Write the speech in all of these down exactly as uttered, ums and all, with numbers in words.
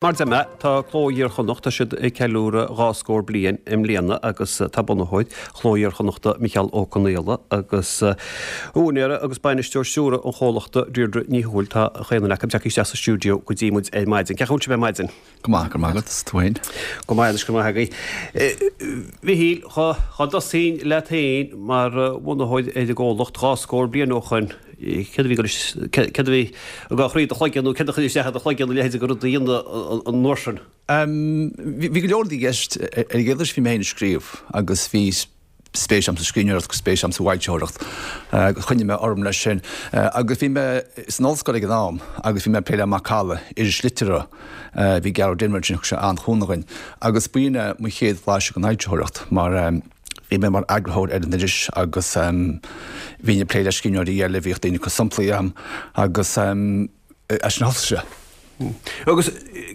Mar a deir mé, tá Cló Iar-Chonnacht, tá siad ag ceiliúradh dhá scór bliain i mbliana agus tá bunaitheoir Chló Iar-Chonnachta Micheál Ó Conghaile agus úinéir agus bainisteoir stiúrtha an chomhlachta Deirdre Ní Thuathail, tá chaon duine acu tagtha isteach sa stiúideo go dtí muid ar maidin. Cén chaoi a bhfuil sibh ar maidin? Go maith, go raibh maith agat, is tú féin? Go maith anois, go raibh maith agaibh. Mhichíl, dá dtosóinn leat féin mar bhunaitheoir ar an gcomhlacht dhá scór bliain ó shoin, Céard a bhí céard a bhí ag cur i do chloigeann nó céard a chuir isteach i do chloigeann a leithéid de rud a dhéanamh an uair sin? Bhí go leor rudaí i gceist. Ar an gcéad dul síos bhí mé féin ag scríobh agus bhí spéis agam sa scríbhneoireacht agus spéis agam sa bhfoilsitheoireacht agus choinnigh mé orm leis sin. Agus bhí mé san ollscoil ag an am agus bhí mé ag plé le Macalla, iris liteartha. Bhí Gearóid Denvir ansin, thug sé an-chúnamh dhuinn. Agus b'in é mo chéad bhlaiseadh den fhoilsitheoireacht mar Bhí mé mar eagarthóir ar an iris agus bhínn ag plé le scríbhneoirí eile, bhíodh daoine ag cur samplaí agam agus as sin a thosaigh sé. Agus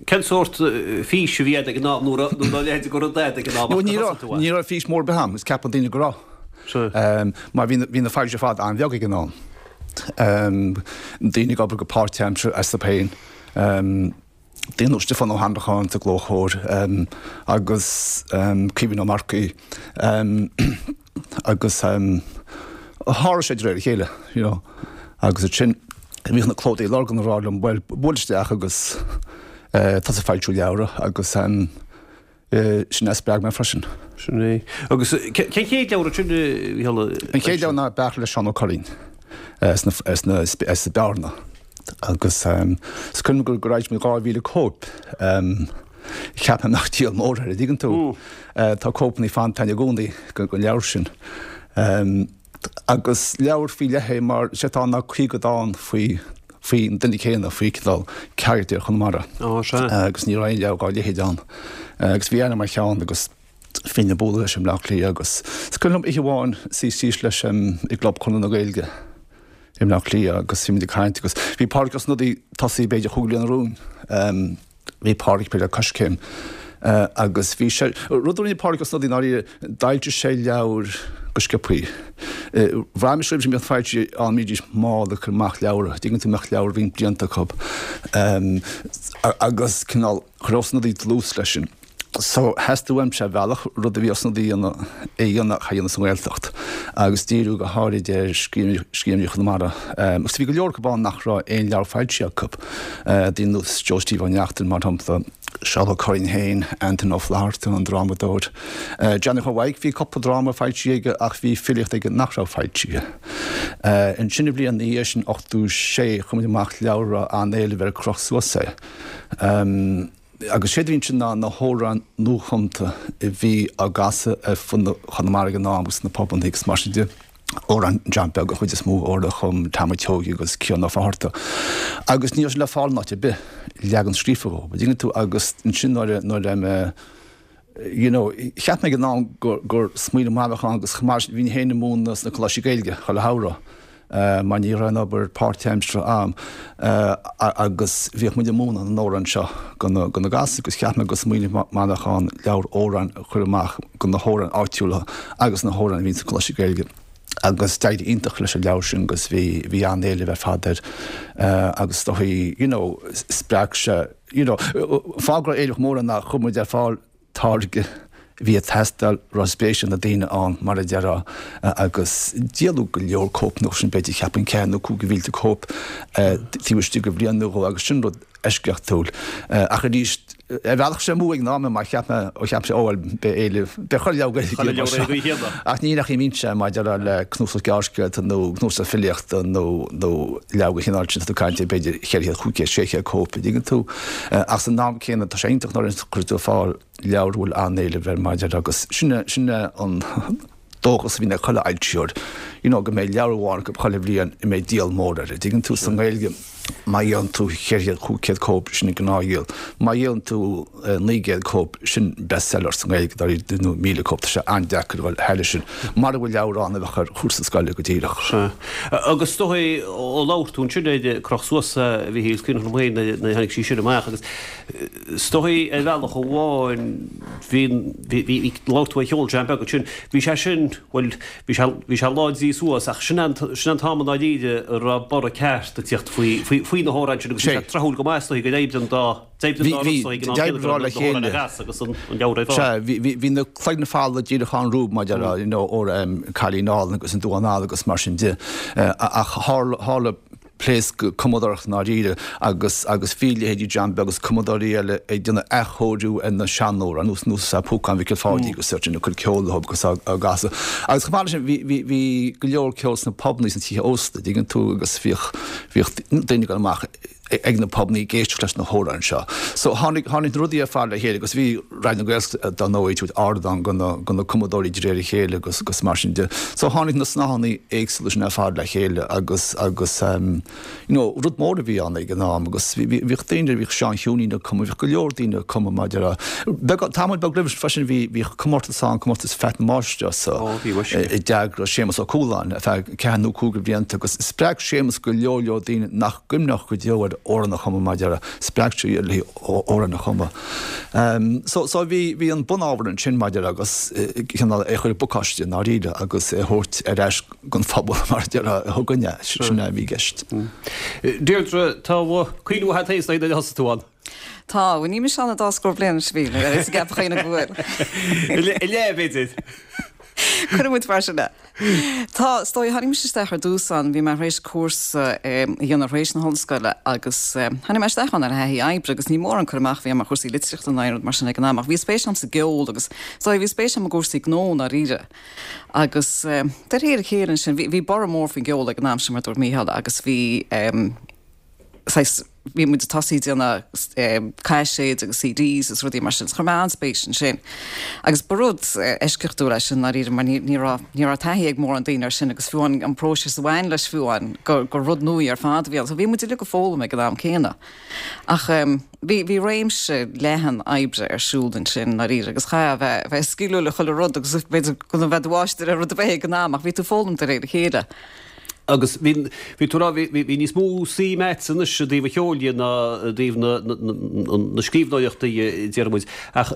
cén sórt fís a bhí agat ag an am nó a leithéid de rud agat ag an am? Ní raibh, ní raibh fís mór ar bith agam, is ceapann daoine go raibh. Mar bhí na foilsitheoirí ar fad an-bheag ag an am. Daoine ag obair go páirtaimseartha astu féin. Daoine ar nós Stiofán Ó hAnnracháin sa gClóchomhar agus Caoimhín Ó Marcaigh agus tharla sé de réir a chéile, you know. Agus ansin bhíodh na Clódóirí Lurgan ag rá liom, bhuel, buail isteach agus tosaigh ag foilsiú leabhra agus Sin a spreag mé freisin. Sin é. Agus cén chéad leabhar sin a Mhichíl? An chéad leabhar ná Beartla le Seán Ó Curraoin as Bearna. Agus is cuimhin liom gur fhoilsigh muid dhá mhíle cóip. Cheapfainn nach díol mór é, an dtuigeann tú. Tá cóipeanna fanta i gcónaí den leabhar sin. Agus leabhar faoi leith é mar is é atá ann ná caoga dán faoi faoin duine céanna, faoi cineál carachtar Chonamara. Ó, sea. Agus ní raibh aon leabhar dá leithéid ann. Agus bhí aithne mar cheann agus bhínn ag bualadh leis i mBleá Cliath agus is cuimhin liom oíche amháin suí síos leis i gClub Chonradh na Gaeilge i mBleá Cliath agus bhí muid ag caint agus bhí Pádraig Ó Snodaigh tosaithe b'fhéidir chúig bliana romhainn. Bhí Pádraig ag plé le Coiscéim agus bhí sé, rud a rinne Pádraig Ó Snodaigh ndáiríre, d'fhoilsigh sé leabhair go sciobthaí. Bhraith mise roimhe sin go mbíodh foilsitheoirí ann, bhídís mall ag cur amach leabhra, dtuigeann tú, mbeadh leabhar roinnt blianta acu agus cineál chuir Ó Snodaigh dlús leis sin. So, theastaigh uaimse ar bhealach rud a bhí Ó Snodaigh a dhéanamh, a dhéanamh ach a dhéanamh sa nGaeltacht agus díriú go háirid ar scríbhneoirí Chonamara. Agus bhí go leor acu ann nach raibh aon leabhar foilsithe acu, daoine ar nós Joe Steve Ó Neachtain, mar shampla, Seán Ó Curraoin féin, Antain Ó Flatharta, an drámadóir, Johnny Chóil Mhaidhc, bhí cúpla dráma foilsithe aige ach bhí filíocht aige nach raibh foilsithe. Ansin an bhliain ina dhiaidh sin, ochtó sé, chuir muid amach leabhar a raibh an-éileamh air, Croch Suas É. Agus séard a bhí ansin ná na hamhráin nuachumta a bhí á gcasadh ar fud Chonamara ag an am agus sna pubanna agus mar sin de. Amhráin John Beag an chuid is mó, amhráin a chum Tom an tSeoighe agus Cian Ó Fátharta. Agus ní raibh sé le fáil in áit ar bith, leagan scríofa dhó, an dtuigeann tú, agus ansin nuair a, nuair a, you know, cheap mé ag an am gur, gur smaoineamh maith a bheadh ann agus chomh maith leis sin bhínn féin ag múineadh sna coláistí Gaeilge chuile shamhradh. mar ní raibh aon obair páirtaimseartha a'm agus bhíodh muid ag múineadh na n-amhrán seo go na go na gasúir agus cheap mé gur smaoineamh maith a bheadh ann leabhar amhrán a chur amach go na hamhráin áitiúla agus na hamhráin a bhíonn sna coláistí Gaeilge agus d'éirigh iontach leis an leabhar sin agus bhí bhí an-éileamh ar fad air agus is dóigh you know spreag sé you know fáth go raibh éileamh mór air ná chuir muid ar fáil táirge a bhí ag teastáil, raibh spéis ag na daoine ann, mar a déarfá, agus díoladh go leor cóipeanna sin, b'fhéidir, cheapfainn ceathair nó cúig mhílte cóip taobh istigh de bhliain nó dhó agus sin rud eisceachtúil. Ach arís, ar bhealach sé amú ag an am mar cheap mé, ó cheap sé, ó bhuel, beidh éileamh, beidh chuile leabhar Gaeilge mar seo. Ach ní nach mbíonn sé maidir le cnuasach gearrscéalta nó cnuasach filíochta nó nó leabhar den chineál sin, tá tú ag caint ar b'fhéidir cheithre chéad, chúig chéad, sé chéad cóip, an dtuigeann tú. Ach san am céanna tá sé iontach nuair a chuireann tú ar fáil leabhar a bhfuil an-éileamh air mar a déarfá agus sin é sin é an dóchas a bhíonn ag chuile fhoilsitheoir, you know, go mbeidh leabhar amháin acu chuile bhliain a mbeidh díol mór air, an dtuigeann tú, sa nGaeilge má dhíolann tú cheithre chéad, chúig chéad cóip, sin an gnáthdhíol, má dhíolann tú naoi gcéad cóip, sin bestseller sa nGaeilge, dáiríre, nó míle cóip, tá sé an-deacair a dhul thairis sin, mara bhfuil leabhar ann a bheadh ar chúrsa scoile go díreach. Sea. Agus is dóigh, ó labhair tú ansin ar Croch Suas, a Mhichíl, is cuimhin liom féin nuair a tháinig sí sin amach agus Is dóigh ar bhealach amháin bhí, bhí, bhí, labhair tú ar cheol John Beag ansin, bhí sé sin, bhuel, bhí sé, bhí sé láidrithe suas ach sin an, sin an t-am i ndáiríre a raibh borradh ceart ag tíocht faoi, faoi faoi na hamhráin sin agus bhí sé tráthúil go maith is dóigh go deimhin den dá deimhin den dá rud is dóigh go Deimhin raibh le chéile. agus an leabhar ar fáil. Sea, bhí bhí bhí na cloigne fada díreach an rúb maidir le you know ó Cailín Álainn agus an Duán Dall agus mar sin de. Ach tharla tharla pléasc cumadóireachta i ndáiríre agus agus bhí leithéidí John Beag agus cumadóirí eile ag déanamh athchóiriú ar na seanamhráin ar nós nós Púcán Mhicil Pháidí agus sin ag cur ceol leo agus á gcasadh. Agus chomh maith leis sin bhí bhí bhí go leor ceol sna pubanna sna tithe ósta, dtuigeann tú agus bhíodh bhíodh daoine ag dul amach ag na pubanna ag éisteacht leis na hamhráin seo. So tháinig tháinig na rudaí ar fad le chéile agus bhí Raidió na Gaeltachta dar ndóigh ag tabhairt ardán go na go na cumadóirí de réir a chéile agus agus mar sin de. So tháinig na snáthanna éagsúla sin ar fad le chéile agus agus um, you know, rud mór a bhí ann ag an am agus bhí bhíodh daoine bhíodh Seán Shiúinín ag cumadh, bhíodh go leor daoine ag cumadh maidir le beag tamall beag roimhe freisin bhí bhíodh comórtas ann comórtas Pheait na Máistreasa Ó, bhí muis. a d'eagraigh Séamus Ó Cualáin ar feadh ceathair nó cúig blianta agus spreag Séamus go leor leor daoine nach gcuimhneodh go deo ar amhrán a chumadh maidir le spreag sé iad le hamhrán a chumadh. Um, so, so bhí bhí an bunábhar ansin maidir agus cineál é chur i bpacáiste i ndáiríre agus é thabhairt ar ais don phobal mar thugann sin a bhí i gceist. Deirdre tá cuimhne mhaith agat nuair a thosaigh tú ann. Tá, ní me anna dá scór bliana sí is gap chéine bhfuil. I le b'fhéidir. Cuirimid mar sin é. Tá is dóigh tháinig mise isteach ar dtús ann, bhí mé tar éis cúrsa a dhéanamh tar éis na hollscoile agus tháinig mé isteach ann ar thaithí oibre agus ní mór an cur amach a bhí agam ar chúrsaí litríochta ná aon rud mar sin ag an am, ach bhí spéis agam sa gceol agus is dóigh bhí spéis agam i gcúrsaí gnó ndáiríre. Agus de réir a chéile ansin, bhí borradh mór faoin gceol ag an am sin mar dúirt Mícheál agus bhí saghas bhí muid ag tosaí déanamh caiséid agus CDs agus rudaí mar sin, chuir mé an-spéis ansin. Agus ba rud eisceachtúil é sin ndáiríre mar ní ní raibh ní raibh taithí ag mórán daoine air sin agus fiú an an próiseas a bhain leis fiú an gur gur rud nua ar fad a bhí ann. So bhí muid uilig ag foghlaim ag an am céanna. Ach um, bhí bhí réimse leathan oibre ar siúl ansin ndáiríre agus chaithfeá bheith bheith sciliúil le chuile rud agus b'fhéidir go bheith do mháistir ar rud ar bith ag an am ach bhí tú foghlaim de réir a chéile. Agus bhí bhí tú bhí bhí níos mó suim agat anois i dtaobh an cheoil dhe ná i dtaobh na na scríbhneoireachta deir muid. Ach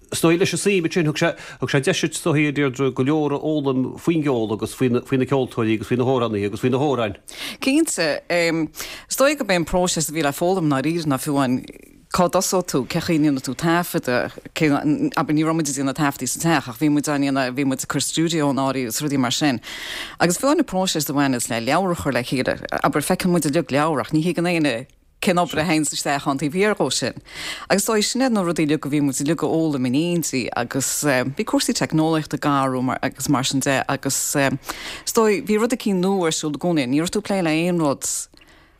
is dóigh leis an suim sin thug sé thug sé deis is dóigh Deirdre go leor a fhoghlaim faoin gceol agus faoi faoi na ceoltóirí agus faoi na hamhránaithe agus faoi na hamhráin. Cinnte, is dóigh gurb é an próiseas a bhí le foghlaim ndáiríre ná fiú an cá dtosóidh tú, cén chaoi a ndéanfaidh tú taifeadadh, abair ní raibh muid ag déanamh taifeadtaí sa teach ach bhí muid á ndéanamh, bhí muid ag cur stiúideo in áirithe agus rudaí mar sin. Agus fiú an próiseas a bhaineas le leabhar a chur le chéile, abair feiceann muid uilig leabhar ach ní thuigeann éinne cén obair a théann isteach ann taobh thiar dhó sin. Agus dóigh sin iad na rudaí uilig a bhí muid uilig a fhoghlaim in éindí agus bhí cúrsaí teicneolaíochta ag athrú mar agus mar sin de agus is dóigh bhí rud eicínt nua ar siúl i gcónaí, ní raibh tú ag plé le aon rud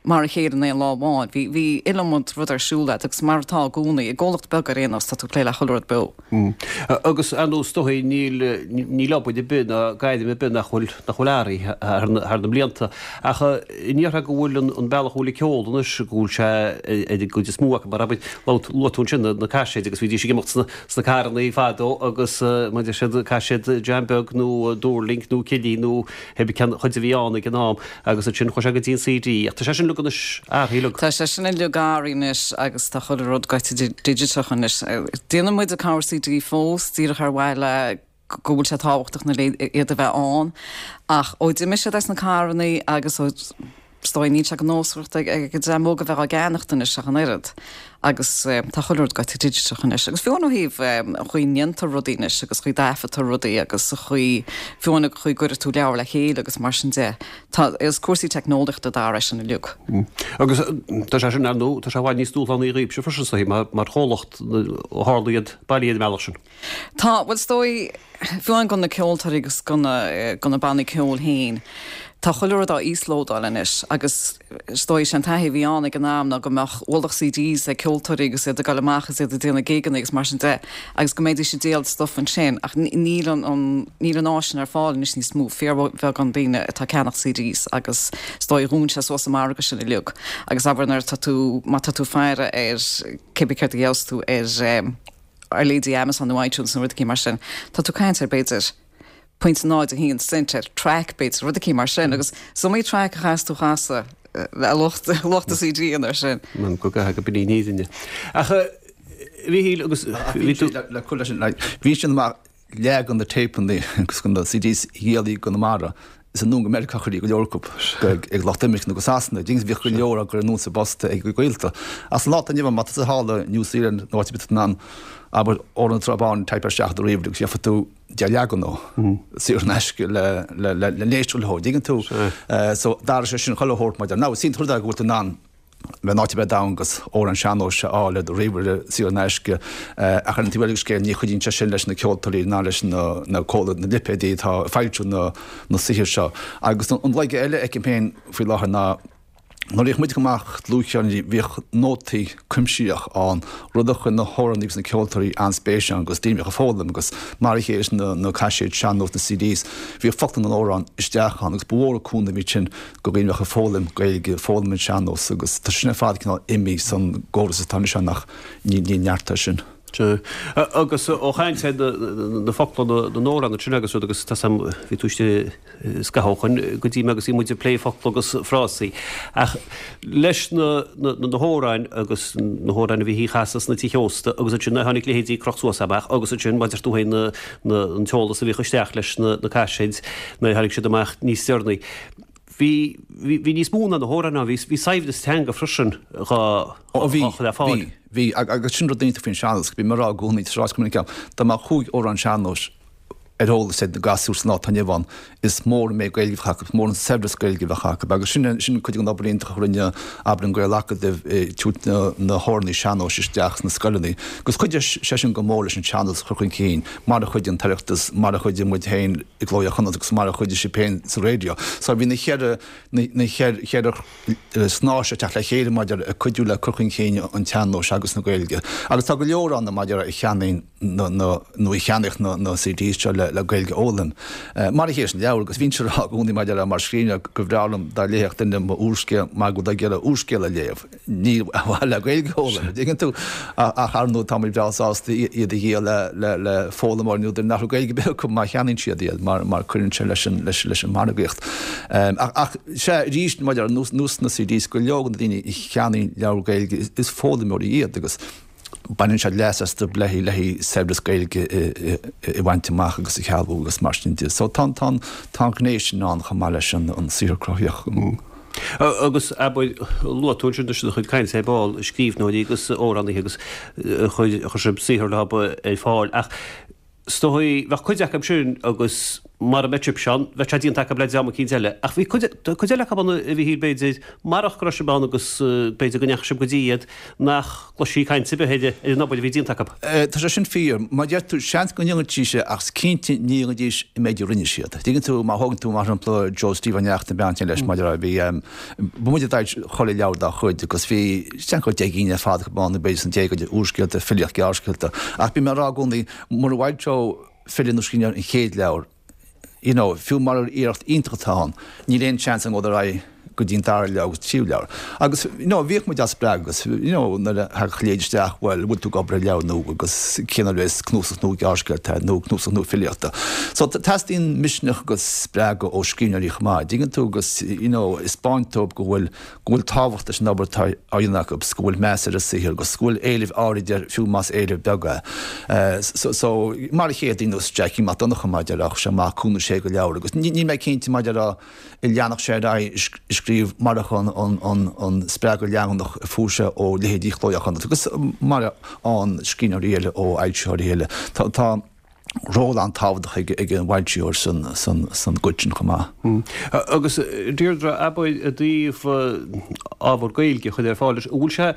mar a chéile in aon lá amháin. Bhí bhí iliomad rud ar siúl agat agus mar atá i gcónaí, i gcomhlacht beag ar aon nós tá tú ag plé le chuile rud beo. Agus ar nós dóigh níl níl obair ar bith ná gairm ar bith nach bhfuil nach bhfuil athraithe thar na thar na blianta. Ach ní déarfá go bhfuil an an bealach a bhfuil an ceol anois go bhfuil sé ar an gcuid is mó acu mar abair luaigh tú ansin na na caiséid agus bhídís ag imeacht sna sna carranna fadó agus mar deir siad caiséad John Beag nó Dúrling nó Cilí nó heb ceann chuid a bhí ann ag an am agus ansin chuaigh sé go dtí an CD. Ach tá sé sin uilig anois athraithe uilig. Tá sé sin uilig athraithe anois agus tá chuile rud gaite digiteach anois. Déanann muid cabhair CD fós díreach ar mhaithe le go bhfuil sé tábhachtach na iad a bheith ann ach ó d'imigh siad as na carranna agus ó is dóigh níl sé go nósmhaireacht ag ag an dream óg a bheith á gceannacht anois ach an oiread. Agus tá chuile rud gaite digiteach anois. Agus fiú ó thaobh an chaoi a ndéantar rudaí anois agus chaoi dtaifeadtar rudaí agus a chaoi fiú an chaoi gcuireann tú leabhar le chéile agus mar sin de. Tá is cúrsaí teicneolaíochta d'athraigh sin uilig. Agus tá sé sin ar ndóigh tá sé i bhfad níos dúshlánaí dhaoibhse freisin is dóigh mar mar chomhlacht ó tharla iad bailithe an bealach sin. Tá bhuel is dóigh fiú amháin go na ceoltóirí agus go na go na bannaí ceoil féin. Tá chuile rud á íoslódáil anois agus is dóigh sin taithí a bhí ann ag an am ná go mbeadh ualach CDs ag ceoltóirí agus iad ag dul amach agus iad ag déanamh gigeanna agus mar sin de agus go mbeidís ag díol stuff ansin ach níl an an níl an áis sin ar fáil anois níos mó fíorbheagán daoine atá ag ceannach CDs agus is dóigh dhún sé suas an margadh sin uilig agus abair nuair atá tú má tá tú faire ar cibé céard a gheobhas tú ar ar leithéidí Amazon nó iTunes nó rudaí mar sin tá tú ag caint ar b'fhéidir point náid a haon cent ar track b'fhéidir rudaí mar sin agus is iomaí track a chaithfeas tú a chasadh le lucht lucht CD an ar sin. Man go go go bní ní. Ach bhí agus bhí tú le cur leis sin bhí sin mar leag an na tapeanna agus na CDs a dhíoltaí i gConamara Is anonn go Meiriceá a chuirí go leor acu, ag lucht imirce nó go Sasana. Ding bhíodh go leor á gcur anonn sa bpost ag a gaolta. Ach sa lá atá inniu ann, má tá tusa thall i New Zealand nó áit ar bith in ann, abair, Amhrán na Trá Báine, typeáil isteach i do ríomhaire agus gheobhaidh tú deich leagan dó, saor in aisce le le le le n-éisteacht leo, dtuigeann tú? So d'athraigh sé sin chuile shórt maidir. Now, is iontach an rud é go bhfuil tú in ann bheith in áit ar bith ar domhan agus amhrán sean-nóis a fháil ar do ríomhaire saor in aisce ach ar an taobh eile den scéal ní chuidíonn sé sin leis na ceoltóirí ná leis na na comhlacht na lipéadaí atá ag foilsiú na na saothair seo. Agus an laige eile a fheicim féin faoi láthair ná nuair a bhíodh muid ag cur amach dlúthcheirníní bhíodh nótaí cuimsitheach ann, rud a chuir na hamhránaithe agus na ceoltóirí an-spéis ann agus daoine a bhíodh ag foghlaim agus mar a chéile leis na na caiséid sean-nós na CDs bhíodh focla na n-amhrán isteach ann agus ba mhór an cúnamh iad sin do dhaoine a bheadh ag foghlaim Gaeilge, foghlaim an sean-nós agus tá sin ar fad cineál imithe san gcóras atá anois ann ach níl neart air sin. Sea. Agus ó chaint ar na focla na n-amhrán ansin agus rud agus tá 's a'm bhí tú istigh scaitheamh ó shoin go dtí mé agus bhí muid ag plé focla agus frásaí. Ach leis na na hamhráin agus na hamhráin a bhí á chasadh sna tithe ósta agus ansin a tháinig leithéidí Croch Suas amach agus ansin mar a deir tú féin na na an t-eolas a bhíodh isteach leis na na caiséid nuair a tháinig siad amach níos deireanaí. Bhí bhí níos mó ná na hamhráin ann, bhí bhí saibhreas teanga freisin dhá Ó bhí, dhá chur le fáil. bhí, bhí, agus sin rud iontach faoin sean-nós, bím ag rá i gcónaí, tá sé ráite go minic agam, dá mbeadh cúig amhrán sean-nóis ar eolas ag na gasúir san lá atá inniu ann, is mór an méid Gaeilge a bheadh acu, is mór an saibhreas Gaeilge a bheadh acu. Agus sin sin cuid den obair iontach a rinne, abair, an Gael-Acadamh, ag tabhairt na na hamhránaí sean-nóis isteach sna scoileanna. Agus chuidigh sé sin go mór leis an sean-nós a chur chun cinn, mar a chuidigh an tOireachtas, mar a chuidigh muid féin i gCló Iar-Chonnacht agus mar a chuidigh sibh féin sa raidió. So bhí na cheithre na cheithre shnáithe ag teacht le chéile maidir ag cuidiú le cur chun cinn an tsean-nóis agus na Gaeilge. Agus tá go leor ann maidir a cheannaíonn na na nó a cheannaigh na na CDs seo le le Gaeilge a fhoghlaim. Mar a chéile leis an leabhar agus bhínnse ag rá i gcónaí maidir le mar scríbhneoir gur bhreá liom dá léifeadh duine m'úrscéal mar go bhfuil ag iarraidh úrscéal a léamh. Ní ar mhaithe le Gaeilge a fhoghlaim, an dtuigeann tú? Ach ar ndóigh táimid breá sásta iad a dhíol le le le foghlaimeoirí nó duine nach raibh Gaeilge ar bith acu má cheannaíonn siad iad mar mar cuireann sé leis an leis leis an margaíocht. Ach ach sea arís maidir ar nós nós na CDs go leor de na daoine a cheannaíonn leabhar Gaeilge is is foghlaimeoirí iad agus baineann siad leas astu le le saibhreas Gaeilge a bhaint amach agus a shealbhú agus mar sin de. So tá tá tá an ghné sin ann chomh maith leis an an saothar cruthaitheach. Agus abair, luaigh tú ansin leis do chuid cainte ar ball, scríbhneoirí agus amhránaithe agus chuir chuir sibh saothar leo ar fáil ach is dóigh, bheadh cuid acu sin agus mara mbeadh sibhse ann, bheadh sé déanta acu le dream eicínt eile. Ach bhí cuid, cuid eile acu ann a Mhíchíl b'fhéidir, marach go raibh sibh ann agus b'fhéidir go ndeachaigh sibh go dtí iad, nach gcloisfí caint ar bith ar ar an obair a bhí déanta acu. Tá sé sin fíor. Mar a deir tú, seans go ndéanfaidís é ach is cinnte ní dhéanfaidís an méid a rinne siad. Tuigeann tú, má thógann tú mar shampla Joe Steve Ó Neachtain, bean leis maidir le, bhí, ba muid a d'fhoilsigh chuile leabhar dá chuid agus bhí, seans go raibh deich gcinn ar fad acu ann, b'fhéidir sna déagóirí, úrscéalta, filíocht, gearrscéalta. Ach bím ag rá i gcónaí, mura bhfoilseodh file nó scríbhneoir an chéad leabhar, you know, fiú murar iarracht iontach atá ann, níl aon seans ann dul ar aghaidh go dtí an dara leabhar agus tríú leabhar. Agus, you know, bhíodh muid á spreagadh agus, you know, nuair a thagadh leid isteach, bhuel, bhfuil tú ag obair ar leabhar nua agus cén uair a bheas cnuasach nua gearrscéalta nó cnuasach nua filíochta. So teastaíonn misneach agus spreagadh ó scríbhneoirí chomh maith, dtuigeann tú, agus, you know, 'spáint dóibh go bhfuil, go bhfuil tábhacht leis an obair atá á dhéanamh acu agus go bhfuil meas ar a saothar agus go bhfuil éileamh áirid air fiú más éileamh beag é. So, mar a chéile daoine ar nós Jackie Mac Donncha maidir le, chuir sé amach cúig nó sé de leabhair agus níl mé cinnte maidir le an leanfadh sé ar aghaidh ag scríobh marach an spreagadh leanúnach a fuair sé ó leithéidí Chló Iar-Chonnacht agus mar a fhaigheann scríbhneoirí eile ó fhoilsitheoirí eile. Tá. ról an-tábhachtach ag an bhfoilsitheoir san gcuid sin chomh maith. Agus Deirdre, abair i dtaobh ábhar Gaeilge a chur ar fáil, an bhfuil sé,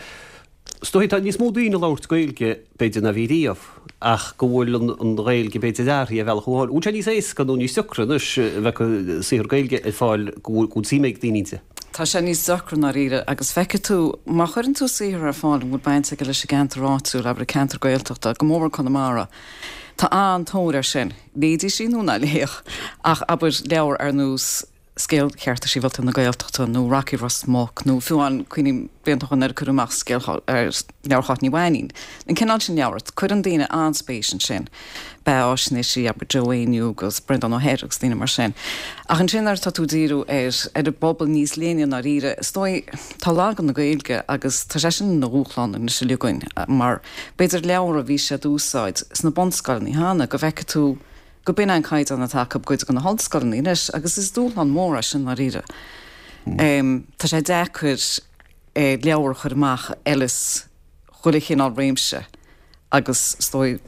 is dóigh tá níos mó daoine ag labhairt Gaeilge b'fhéidir ná bhí riamh ach go bhfuil an Ghaeilge b'fhéidir athraithe ar bhealach amháin. An bhfuil sé níos éasca nó níos deacra anois a bheith saothar Gaeilge ar fáil go bhfuil suim ag daoine inti? Tá sé níos deacra i ndáiríre agus feicfidh tú, má chuireann tú saothar ar fáil a bhfuil baint aige leis an gceantar áitiúil, abair an ceantar Gaeltachta, go mór mór Conamara, Tá an-tóir air sin. Léidís í nó ná léadh, ach abair leabhar ar nós Scéal Chearta Sibhialta na Gaeltachta nó Rocky Ros Muc nó fiú amháin, cuimhním blianta ó shoin nuair a cuireadh amach scéal leabhar Cháit Ní Mhainín. An cineál sin leabhar, cuireann daoine an-spéis ansin. Beatháisnéisí, abair Joe Éinniú agus Breandán Ó hEithir agus daoine mar sin. Ach ansin nuair atá tú ag díriú ar ar an bpobal níos leithne i ndáiríre, is dóigh, tá lagú na Gaeilge agus tá sé sin ina dhúshlán anois uilig againn mar b'fhéidir leabhar a bhí siad a úsáid sna bunscoileanna cheana, go bhfeicfidh tú go b'in an caighdeán atá acu i gcuid de na hollscoileanna anois agus is dúshlán mór é sin ndáiríre. Tá sé deacair leabhar a chur amach a fheileas chuile chineál réimse agus is dóigh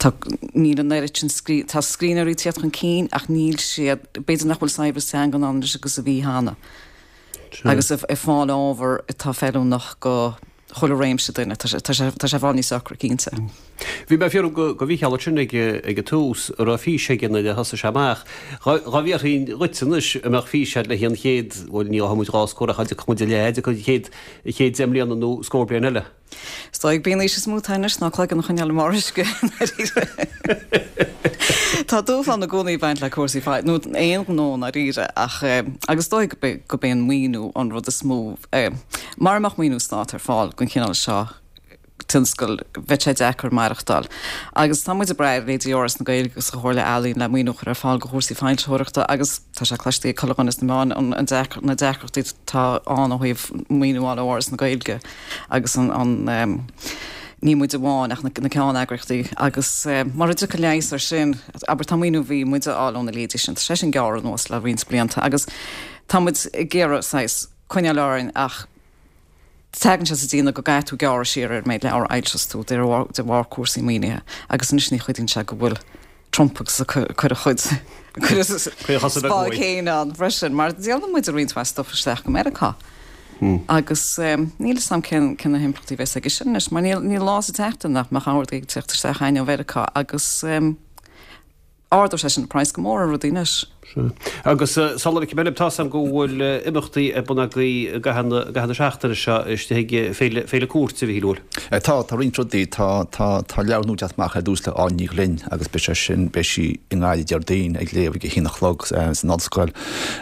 tá níl an oiread sin scrí tá scríbhneoirí ag tíocht chun cinn ach níl siad b'fhéidir nach bhfuil saibhreas teanga ann anois agus a bhí cheana. Agus ag fáil ábhar atá feiliúnach go chuile réimse duine, tá sé tá sé i bhfad níos ocra cinnte. Bhí mé ag fiafraí go go Mhícheál ansin ag ag an tús an raibh fís aige nuair a thosaigh sé amach. Dhá bhfiafróinn dhuit anois an mbeadh fís agat le haghaidh an chéad, bhuel ní ghabhfaidh muid dhá scór ach dá dtiocfadh muid i leith, an chéad an chéad deich mbliana nó scór bliain eile. Is dóigh gurb í an fhís is mó atá anois ná cloigeann a choinneáil i mbarr uisce. Tá dúshlán i gcónaí ag baint le cúrsaí fai, nó aon ghnó ndáiríre, ach agus is dóigh gurb é an maoiniú an rud is mó. Mara mbeadh maoiniú stáit ar fáil don chineál seo tionscail, bheadh sé deacair maireachtáil. Agus tá muid ag brath ar leithéidí Fhoras na Gaeilge agus an Chomhairle Ealaíon le maoiniú a chur ar fáil do chúrsaí foilsitheoireachta agus tá sé cloiste ag chuile dhuine sna meáin an deacair, na deacrachtaí atá ann ó thaobh maoiniú a fháil ó Fhoras na Gaeilge agus an, an, ní muid amháin ach na ceanneagraíochtaí agus mura dtiocfaidh leigheas air sin, abair tá maoiniú a bhí muid a fháil óna leithéidí sin, tá sé sin gearrtha anuas le roinnt blianta agus tá muid ag iarraidh saghas coinneáil orainn ach tagann sé sa déanamh go gcaithfidh tú gearradh siar ar an méid leabhar a fhoilseos tú de bharr cúrsaí maoinithe agus anois ní chuidíonn sé go bhfuil Trump agus ag cur a chuid spá céanna ann freisin mar díolann muid roinnt mhaith stuif isteach go Meiriceá. Agus níl fhios a'm cén cén na himpleachtaí a bheas aige sin anois mar níl níl lá sa tseachtain nach mbeadh ordú ag teacht isteach chugainn ó Mheiriceá agus ardóidh sé sin an praghas go mór ar rudaí anois. Sea. Agus sula bhfeicfidh mé libh, tá's a'm go bhfuil imeachtaí ar bun agaibh i gcaitheamh na, i gcaitheamh na seachtaine seo istigh ag Féile, Féile Cúirte, a Mhíchíl, an bhfuil? Tá, tá roinnt rudaí. Tá, tá, tá leabhar nua ag teacht amach ar dtús le Áine Ní Ghlinn agus beidh sé sin, beidh sí i nGaillimh Déardaoin ag léamh ag a haon a chlog san Ollscoil.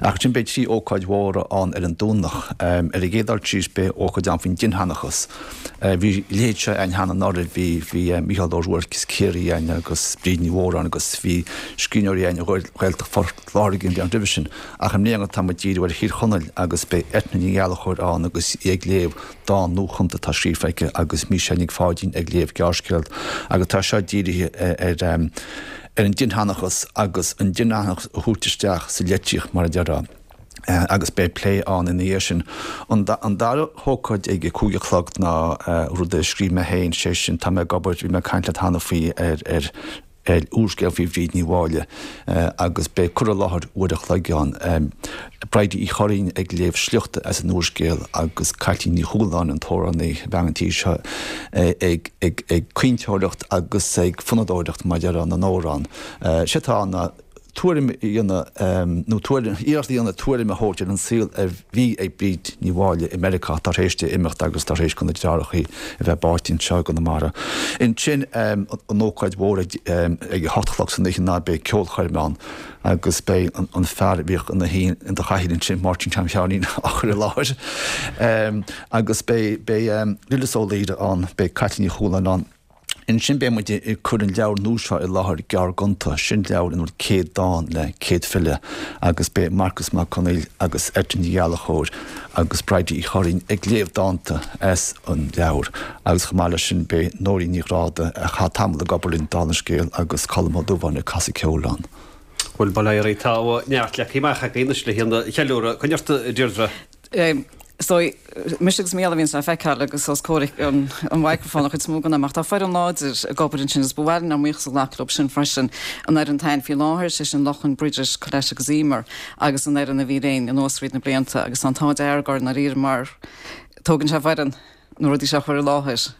Ach ansin beidh trí ócáid mhóra ann ar an Domhnach. Ar an gcéad dul síos beidh ócáid ann faoin dinnseanchas. Bhí a leithéid seo ann cheana anuraidh, bhí, bhí Mícheál Ó Ruairc as Ciarraí ann agus Bríd Ní Mhóráin agus bhí scríbhneoirí ann ó Ghaeltacht Phort Láirge an bhliain roimhe sin. Ach i mbliana tá muid ag díriú ar Thír Chonaill agus beidh Eithne Ní Ghallchóir ann agus í ag léamh dán nuachumta atá scríofa aici agus Mícheál Nic Pháidín ag léamh gearrscéal agus tá seo dírithe ar ar an dinnseanchas agus an dinnseanchas a thabhairt isteach sa litríocht mar a déarfá. Agus beidh plé ann ina dhiaidh sin. An dara hócáid ag a cúig a chlog ná rud a scríobh mé féin, sé sin, tá mé ag obair, bhí mé ag caint leat cheana faoi, ar ar ar úrscéal faoi Bhríd Ní Mháille agus beidh cur i láthair uair a chloig ann. Bridie Uí Churraoin ag léamh sliochta as an úrscéal agus Caitlín Ní Chualáin, an t-amhránaí, bean an tí seo, ag ag ag caointeoireacht agus ag fonnadóireacht mar a déarfá na n-amhrán. Sé atá ann ná. tuairim a dhéanamh, nó tuairim, iarracht a dhéanamh tuairim a thabhairt ar an saol a bhí ag Bríd Ní Mháille i Meiriceá tar éis di imeacht agus tar éis do na deartháireacha a bheith báite anseo i gConamara. Ansin, an ócáid mhór ag a hocht a chlog san oíche ná beidh ceolchoirm ann agus beidh an fear a bhíodh ina shuí in do chathaoir ansin, Máirtín Tom Sheáinín, á chur i láthair. Agus beidh, beidh Lillis Ó Laoire ann, beidh Caitlín Ní Chualáin ann. Ansin beidh muid ag cur an leabhar nua seo i láthair, Gearrghonta. Sin leabhar ina bhfuil céad dán le céad file agus beidh Marcas Mac Conaill agus Eithne Ní Ghallchóir agus Bridie Uí Churraoin ag léamh dánta as an leabhar agus chomh maith leis sin beidh Nóirín Ní Ghráda, a chaith tamall ag obair linn, dála an scéil, agus Colm Ó Dubháin ag casadh ceoil ann. Bhuel, bail ó Dhia oraibh, tá neart leagtha amach agaibh anois le haghaidh an cheiliúradh. Coinnigh ort, a Deirdre. Is dóigh, mise agus Mícheál a bhíonns le feiceáil agus os comhair an mhicreafóin an chuid is mó den am, ach tá foireann láidir ag obair ansin agus ba mhaith linn ár mbuíochas a ghlacadh leo sin freisin, an fhoireann atá ann faoi láthair, sé sin Lochan, Bridget, Colette agus Emer, agus an fhoireann a bhí linn anuas fríd na blianta agus tá an t-ádh dearg orainn ndáiríre mar tógann sé foireann na rudaí seo a chur i láthair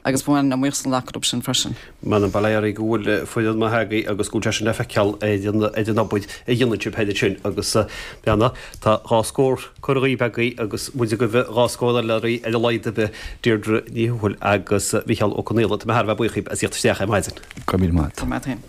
agus ba mhaith linn ár mbuíochas a ghlacadh leo sin freisin. M'anam bail ó Dhia oraibh go bhfuil foireann maith agaibh agus go bhfuil sé sin le feiceáil ar an ar an obair a dhéanann sibh féin ansin agus beanna tá dhá scór curtha dhaoibh agaibh agus muid ag gabháil dhá scór eile oraibh ar a laghad ar bith, Deirdre Ní Thuathail agus Micheál Ó Conaola. Tá mé thar a bheith buíoch dhaoibh as theacht isteach ar maidin. Go raibh míle maith agat. Go raibh maith agat féin.